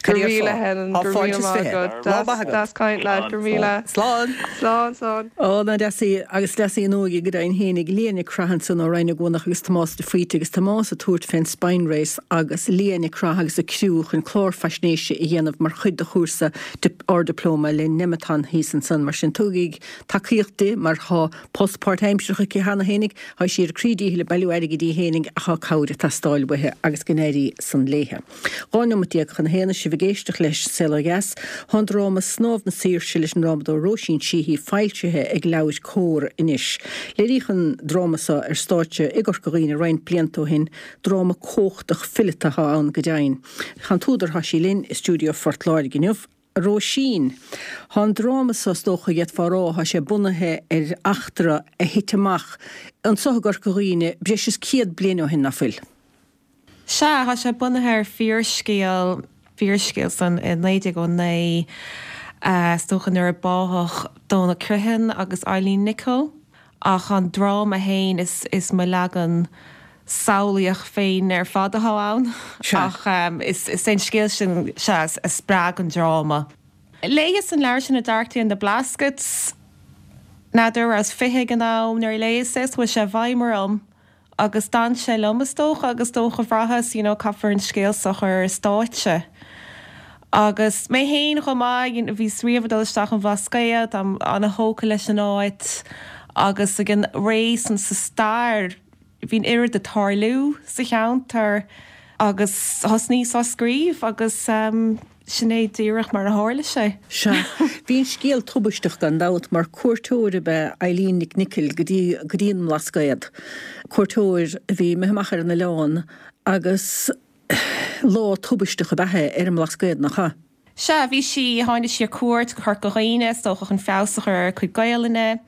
S6: Go
S1: Cad é
S6: raibh
S1: ar
S6: míle
S1: fáth?
S6: Helen,
S1: Tá
S6: go raibh
S1: fáilte
S6: míle
S1: is
S6: maith
S1: fiche.
S6: agat.
S1: Lá maith agat.
S6: Deas caint leat, go raibh míle.
S1: Slán.
S6: Slán, slán.
S1: Ó, nach deas í, agus deas í an óige go deimhin fhéinig, Lia Nic Craith ansan ó Rinn Ó gCuanach agus Tomás de Faoite agus Tomás ag tabhairt fén Spine Race agus Lia Nic Craith agus a criú chun clár faisnéise a dhéanamh mar chuid de chúrsa Ard-Dioplóma le Nemeton thíos ansan. Mar sin tugaigí tacaíocht di mar thá post páirtaimseartha aici cheana fhéinig, thá sí ar a croí díchill ag bailiú airgid í fhéinig ach thá cabhair ag teastáil uaithi agus go n-éirí san léithe. Dhá neomat déag chun a haon sibh ag éisteacht leis Saol Ó Dheas. Thá an dráma Snámh na Saoirse leis an ndrámadóir Róisín Sheehy foilsithe ag LeabhairCOMHAR anois. Léiríodh an dráma seo ar stáitse i gCorca Dhuibhne roinnt blianta ó shin. Dráma cumhachtach fileata atá ann go deimhin. Thá an t-údar thá sí linn i stiúideo Phort Láirge inniu. A Róisín, thá an dráma seo is dócha d'fhéadfá a rá, thá sé bunaithe ar eachtra a thit amach anso i gCorca Dhuibhne breis is céad bliain ó shin, ná fuil?
S3: Sea, tá sé bunaithe ar fíorscéal, fíorscéal san i naoi déag ó naoi, is dócha nuair a báthadh Dónal Criomhthain agus Eileen Nicol. Ach an dráma fhéin is is mo leagan samhlaíoch féin ar fad atá ann. Ach is é an scéal sin sea a spreag an dráma. Léigheas an leabhar sin A Dark Day in the Blaskets, n'fheadar rabhas fiche ag an am nuair a léigheas é, chuaigh sé i bhfeidhm orm agus d'fhan sé liom is dócha agus dócha bhraitheas you know caithfear an scéal seo a chur ar stáitse. Agus mé féin chomh maith, bhíos riamh ag dul isteach an Bhlascaod, táim ana-thógtha leis an áit agus ag an ré san sa stair, bhí an oiread ag tarlú sa cheantar agus thosnaíos á scríobh agus sin é díreach mar a tharla sé.
S1: Sea. Bhí an scéal tubaisteach gan dabht mar cuairteoir ab ea Eileen Nic Niocaill go dtí go dtí an mBlascaod. Cuairteoir a bhí imithe amach ar an oileán agus lá tubaisteach ab ea é ar an mBlascaod, nach ea?
S3: Sea, bhí sí, tháinig sí ar cuairt go Corca Dhuibhne, is dócha chun feabhas a chur ar a cuid Gaelainne.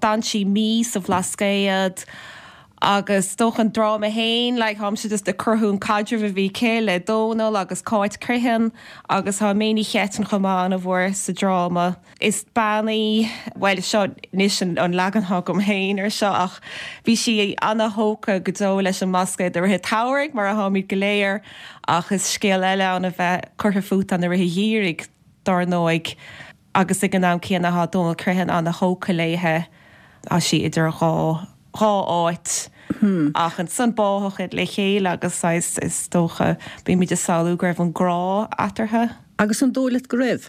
S3: D'fhan sí mí sa Bhlascaod agus is dócha an dráma fhéin, like, táimse just ag cruthú an caidreamh a bhí aici le Dónal agus Cáit Criomhthain agus tá May Ní Cheitinn chomh maith an-mhór sa dráma. Is bean í, bhuel, seo anois an leagan atá agam féin ar seo ach bhí sí ana-thógtha go deo leis an mBlascaod i rith an tsamhraidh, mar atáimid go léir, ach is scéal eile ann a bheith curtha fút ann i rith an gheimhridh, dár ndóigh, agus ag an am céanna tá Dónal Criomhthain ana-thógtha léithe, tá sí idir dhá, dhá áit. Ach ansan báthadh iad le chéile agus saghas, is dócha, bímid ag samhlú go raibh an grá eatarthu.
S1: Agus an dóigh leat go raibh?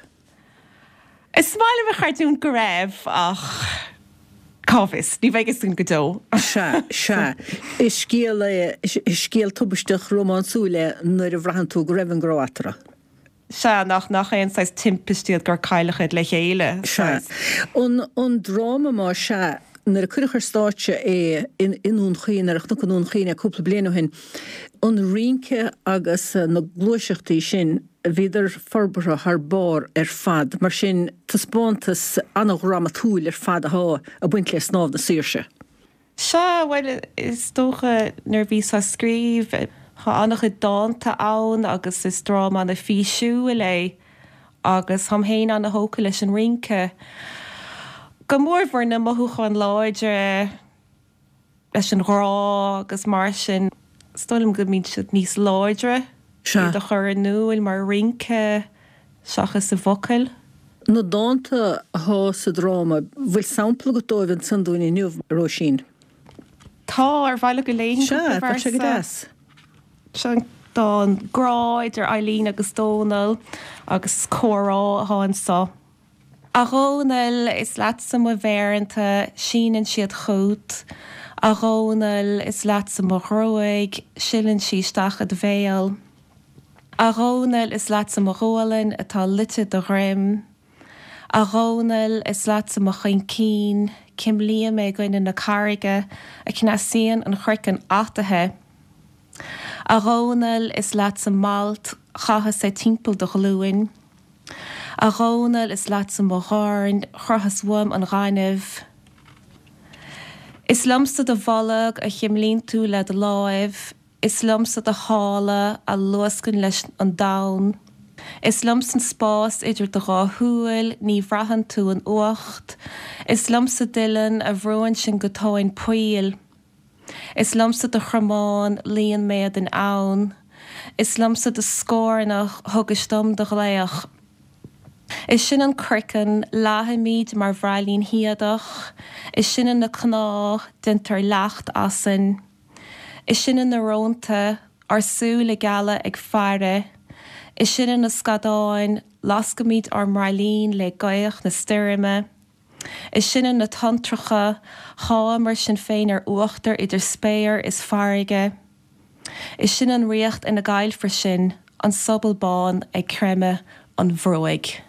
S3: Is maith liom a chreidiúint go raibh, ach cá bhfios, ní bheidh fhios againn go deo.
S1: Sea, sea. Is scéal é, is scéal tubaisteach rómánsúil é nuair a bhraitheann tú go raibh an grá eatarthu.
S3: Sea, nach, nach aon saghas timpist iad gur cailleadh iad le chéile,
S1: Sea.
S3: saghas.
S1: An, an dráma más ea, nuair a cuireadh ar stáitse é in, i nDún Chaoin, ar Chnoc i nDún Chaoin é cúpla bliain ó shin, an rince agus na gluaiseachtaí sin, Bhíodar forbartha thar barr ar fad, mar sin taispeántas an-dhrámatúil ar fad athá ag baint le Snámh na Saoirse.
S3: Sea, bhuel, is dócha nuair a bhíos á scríobh, tá an-chuid dánta ann agus is dráma an-fhísiúil é agus táim féin an-thógtha leis an rince, go mórmhór na mothúcháin láidre, leis an ghrá agus mar sin, is dóigh liom go mbíonn siad níos láidre
S1: Sea.
S3: iad a chur in iúl mar rince seachas i bhfocail.
S1: Na dánta athá sa dráma, bhfuil sampla agat dóibh ansan dúinn inniu, a Róisín?
S3: Tá, ar mhaith leat go léifinn
S1: Sea,
S3: cúpla
S1: bheadh sé go
S3: véarsa?
S1: deas.
S3: Seo an dán grá idir Eileen agus Dónal agus comhrá athá anso. A Dhónaill, is leatsa mo mhéireanta, síneann siad chút. A Dhónaill, is leatsa mo ghruaig, sileann sí isteach i do bhéal. A Dhónaill, is leatsa mo ghualainn atá luite do dhroim. A Dhónaill, is leatsa mo choincín, cuimlím é i gcoinne na carraige a chneasaíonn an craiceann ataithe. A Dhónaill, is leatsa m'alt, chaitheas é timpeall do ghlúin. A Dhónaill, is leatsa mo dhorn, chroitheas uaim an gaineamh. Is liomsa do bholg a chuimlíonn tú le do láimh, is liomsa do shála a luascann leis an domhan. Is liomsa an spás idir do dhá shúil, ní bhraitheann tú an fhuacht. Is liomsa d'uillinn a bhrúann sinn go tóin poill. Is liomsa do chromán, luíonn m'éadan ann. Is liomsa do scornach, thugais dom do ghlaoch. Is sinne an craiceann, leáthaimid mar bhraillín shíodach. Is sinne na cnámha, déantar leacht asainn. Is sinne na rónta, ár súile geala ag faire. Is sinne na scadáin, lascaimid ár mbraillín le gaoth na stoirme. Is sinne na tonntracha, sháigheamar sinn féin ar uachtar idir spéir is farraige. Is sinne an ríocht ina gcaillfear sinn, an sobal bán ag creimeadh an bhruaigh.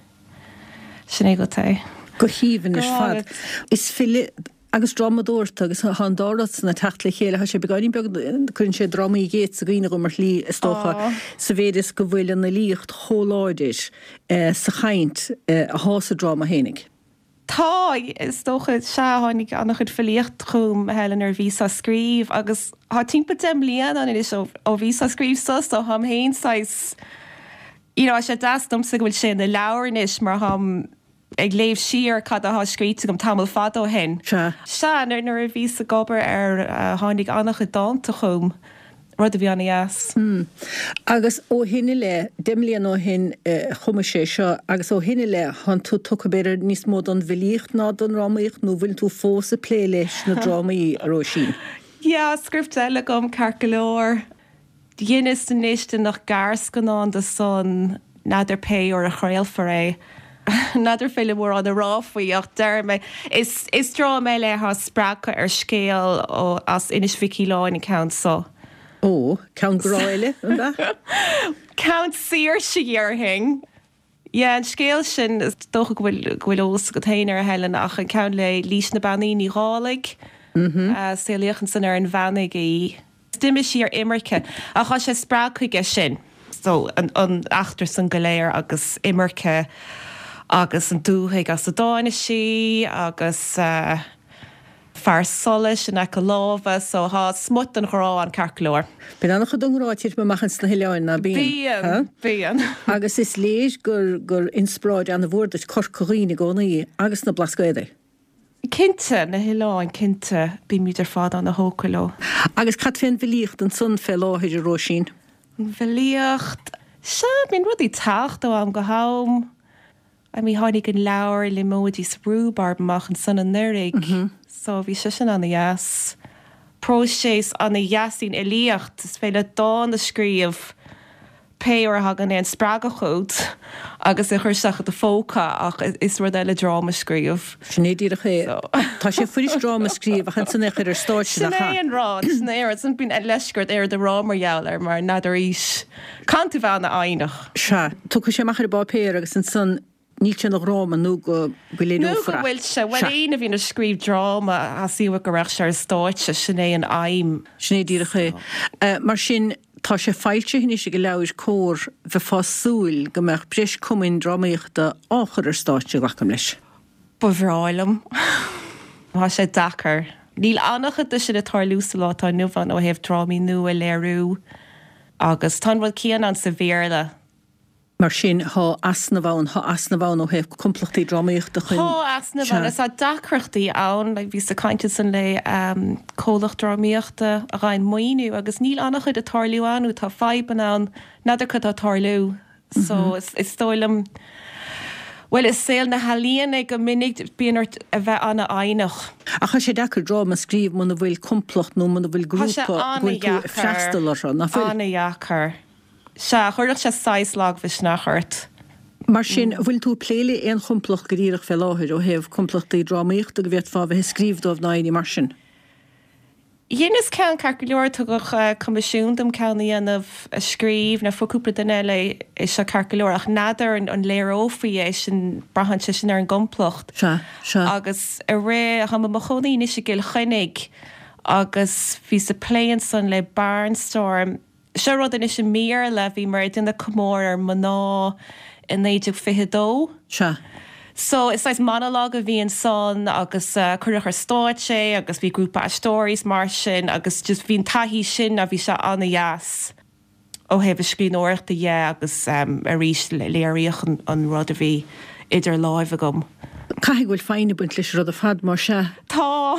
S3: Sin é agat é.
S1: Go haoibhinn
S3: Go
S1: ar fad.
S3: hálainn.
S1: Is file agus drámadóir tú agus tá an dá rud san ag teacht le chéile. Tá sé beagáinín beag, cuireann sé drámaí Yeats i gcuimhne dhom ar shlí, is dócha,
S3: Á.
S1: sa mhéid is go bhfuil an fhilíocht chomh láidir sa chaint athá sa dráma fhéinig.
S3: Tá, is dócha, sea, tháinig an-chuid filíocht chugam, Helen, nuair a bhíos á scríobh agus tá timpeall deich mbliana ann anois ó ó bhíos á scríobh so, so táim féin saghas, you know, tá sé deas domsa go bhfuil sé ina leabhar anois mar táim,
S7: ag léamh siar cad atá scríte agam tamall fada ó shin.
S1: Sea.
S7: Sea, nuair nuair a bhíos ag obair air tháinig an-chuid dánta chugam, rud a bhí an-dheas.
S1: Agus ó shin i leith, deich mbliana ó shin chumais é seo, agus ó shin i leith, thánn tú tugtha b'fhéidir níos mó don bhfilíocht ná don drámaíocht nó bhfuil tú fós ag plé leis na drámaí, a Róisín?
S7: Yeah, script eile agam ceart go leor. Dheineas anois déanach gearrscannán de san, n'fheadar pé uair a chraolfar é. N'fheadar féidir mórán a rá faoi ach déarfaidh mé, is is dráma eile atá spreagtha ar scéal ó as Inis Mhic Aoláin an ceann so.
S1: Ó, ceann grá eile, an ea?
S7: Ceann saoirse déarfainn. Yeah, an scéal sin, is dócha go bhfuil go bhfuil eolas agat féin air a Helen ach an ceann le Lís na Bean Uí Ní Dhálaigh, saolaíodh ansan ar an Bheannaigh í. D'imigh sí ar imirce ach tá sé spreagtha aige sin. So an an eachtra san go léir agus imirce agus an dúthaigh as a dtáinig sí agus eh fear solais in aice láimhe so tá smut den ghrá ann ceart go leor.
S1: Bíonn an-chuid den ngrá ag titim amach ins na hoileáin, ná bíonn?
S7: Bíonn, bíonn.
S1: Agus is léir gur gur inspioráid an-mhór duit Corca Dhuibhne i gcónaí agus na Blascaodaí.
S7: Cinnte, na hoileáin, cinnte. Bímid ar fad ana-thógtha leo.
S1: Agus cad fén bhfilíocht ansan fé láthair, a Róisín?
S7: An bhfilíocht? Sea, bíonn rudaí ag teacht ó am go ham. I mean, tháinig an leabhar Liomóidí 's Rúbarb amach ansan anuraidh, so bhí sé sin ana-dheas. Próiseas ana-dheas í an fhilíocht, is féidir leat dán a scríobh pé uair a thagann aon spreagadh chugat agus é a chur isteach i do phóca ach is rud eile dráma a scríobh.
S1: Sin é díreach é. Tá sé fuirist dráma a scríobh ach ansan é a chur ar stáitse,
S7: Sin
S1: nach
S7: é
S1: ea?
S7: an rud, sin é an rud. Sin bíonn leisce ort aon rud a rá mar gheall air mar n'fheadar arís. Caithfidh tú bheith ana-fhoighneach.
S1: Sea. Tiocfaidh sé amach ar an bpáipéar agus ansan Níl sé ina dhráma nó go
S7: Nó
S1: léireofar
S7: go
S1: é.
S7: bhfuil sé, bhuel
S1: Sea.
S7: éinne a bhíonn ag scríobh dráma, theastaigh uaidh go raibh sé ar stáitse, sin é an aidhm.
S1: Sin é díreach é. Mar sin, tá sé foilsithe anois ag Leabhair Comhar, bheifeá ag súil go mbeadh breis cumainn drámaíochta á chur ar stáitse, glacaim leis.
S7: Ba bhreá liom. Tá sé deacair. Níl an-chuid de sin ag tarlú sa lá atá inniu ann ó thaobh drámaí nua a léiriú agus tá an rud céanna ann sa Bhéarla.
S1: Mar sin, thá easnamh ann, thá easnamh ann ó thaobh complachtaí drámaíochta chun.
S7: Thá easnamh ann,
S1: Sea.
S7: is tá deacrachtaí ann, like bhíos ag caint ansan le comhlacht drámaíochta a fhaigheann maoiniú agus níl an-chuid ag tarlú ann nó tá fadhbanna ann, n'fheadar cad tá ag tarlú. So is is dóigh liom, bhuel i saol na healaíona go minic bíonn ort a bheith an-fhoighneach.
S1: Ach tá sé deacair dráma a scríobh muna bhfuil complacht nó muna bhfuil
S7: Tá sé
S1: grúpa go bhfuil tú ag
S7: an-dheacair,
S1: freastal orthu, nach bhfuil?
S7: an-dheacair. Sea, chuirfeadh sé saghas lagmhisneach ort.
S1: Mar sin, an bhfuil tú ag plé le aon chomplacht go díreach fé láthair ó thaobh complachtaí drámaíochta go bhféadfá a bheith ag scríobh dóibh ná éinní mar sin?
S7: Dheineas ceann ceart go leor, tugadh coimisiún dom ceann a dhéanamh, a scríobh, nó fuair cúpla duine eile é seo ceart go leor, ach n'fheadar an léireofaí é sin, braitheann sé sin ar an gcomplacht.
S1: Sea, sea.
S7: Agus i rith, táim i mo chónaí anois i gCill Chainnigh agus bhíos ag plé ansan le Barnstorm, Seo rud anois i mBéarla, bhíomar ag déanamh comóradh ar mná i naoi déag fiche a dó.
S1: Sea.
S7: So is saghas monologue a bhí ansan agus cuireadh ar stáitse é agus bhí grúpa aisteoirí is mar sin agus just bhí an taithí sin a bhí sé an-dheas ó thaobh na scríbhneoireachta dhe agus arís léiríodh an rud a bhí idir láimh agam.
S1: Caithfidh go bhfuil foighne ag baint leis an rud ar fad, mar sea.
S7: Tá.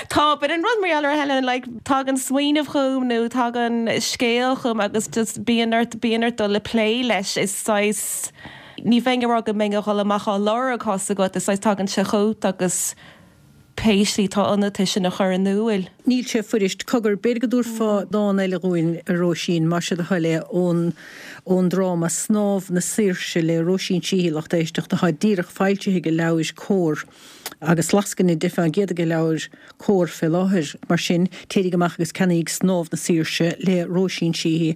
S7: Tá, but an rud mar gheall ar Helen, like, tagann smaoineamh chugam nó tagann scéal chugam agus just bíonn ort, bíonn ort dul ag plé leis, is saghas, ní bheinn ag rá go mbeinn ag dul amach á lorg, tá's agat, is saghas tagann sé chugat agus pé slí atá ionat é sin a chur in iúil.
S1: Níl sé fuirist. Cogar, b'fhéidir go dtabharfá dán eile dhúinn, a Róisín, más é do thoil é, ón ón dráma Snámh na Saoirse le Róisín Sheehy, lucht éisteachta, atá díreach foilsithe ag Leabhair Comhar agus lascaine deich fán gcéad ag Leabhair Comhar fé láthair. Mar sin, téiríg amach agus ceannaíg Snámh na Saoirse le Róisín Sheehy,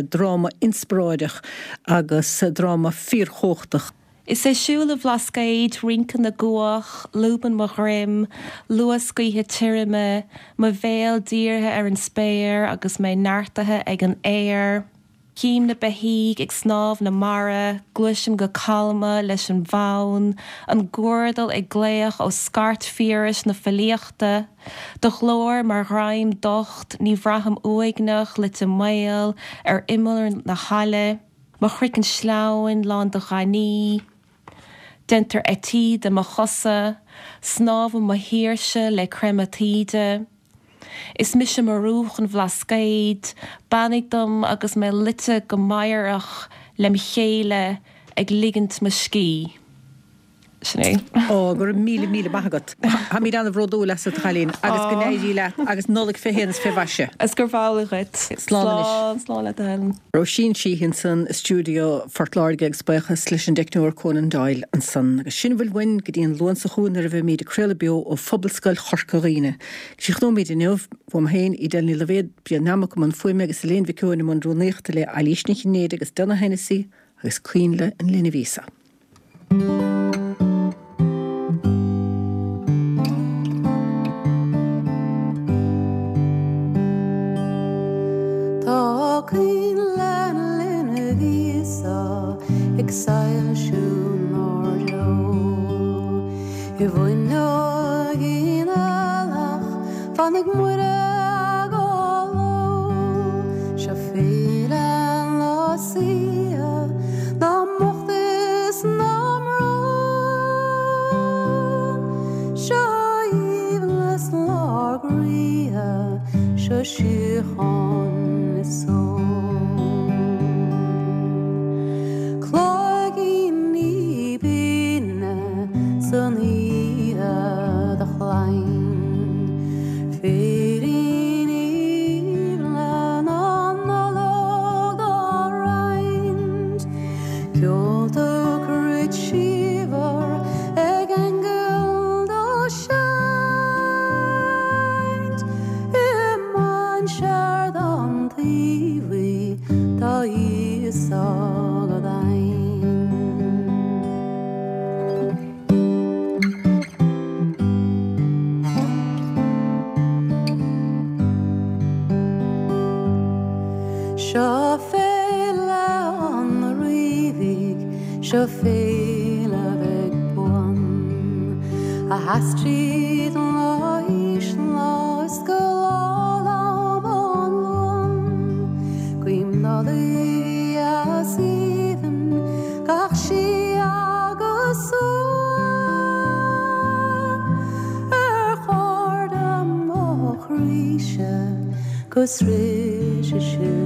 S1: dráma inspioráideach agus dráma fíorchumhachtach.
S7: Is é siúl an Bhlascaoid, rince na gcuach, lúbann mo dhroim, luas gaoithe tirime, mo bhéal dírithe ar an spéir agus mé neartaithe ag an aer. Cím na beithígh ag snámh na mara, gluaisim go calma leis an bhfonn, an guardal ag glaoch ó scairt phiarais na filíochta. Do ghlór mar ghreim docht, ní bhraithim uaigneach, loite maol ar imeall na haille. Mo chraiceann sleamhain lán de ghainní. Déantar eití de mo chosa, snámhaim mo shaoirse le creimeadh taoide. Is mise murúch an Bhlascaoid, beannaigh dom agus mé luite go meidhreach lem chéile ag ligint mo scíth. Sin é.
S1: Ó, go raibh míle míle maith agat. Táimid an-bhródúil asat, a chailín, agus go n-éirí leat agus Nollaig fé shéan is fé mhaise.
S7: Is gurb amhlaidh dhuit.
S1: Slán anois.
S7: Slán, slán leat a Helen.
S1: Róisín Sheehy ansan i stiúideo Phort Láirge agus buíochas leis an dteicneoir Conan Doyle ansan. Agus sin a bhfuil uainn go dtí an Luan seo chugainn nuair a bheimid ag craoladh beo ó Phobalscoil Chorca Dhuibhne. Críochnóimid inniu, uaim féin, Edel Ní Loibhéad, Brian Nammock i mbun fuaime agus Elaine Mhic Eoin i mbun rúnaíochta le Eilís Ní Chinnéide agus Donagh Hennessy agus Coinnle an Linbh Íosa.
S8: Tá coinnle an linbh Íosa ag soilsiú 'nár dtreo. I bhfuinneog in eallach fanfaidh Muire go ló. Seo féile an lá saoithe ná mbocht is ná mbrón. Seo aoibhneas 'nár gcroíthe, seo síocháin is só. Cloigíní binne san oíche do chlainn, Féiríní aoibhne na Nollag dá roinnt, Ceolta cruit síomhar ag aingil dá seinnt, I mainséar don taobhaí tá Íosa go daingean. Seo féile an Ríbhig, seo féile bheag buan, a sheas tríd an lá lá is go lá an Luan. Guím Nollaig dheas aoibhinn gach sí agus suan, ar chairde mo chroíse go sroiche sibh.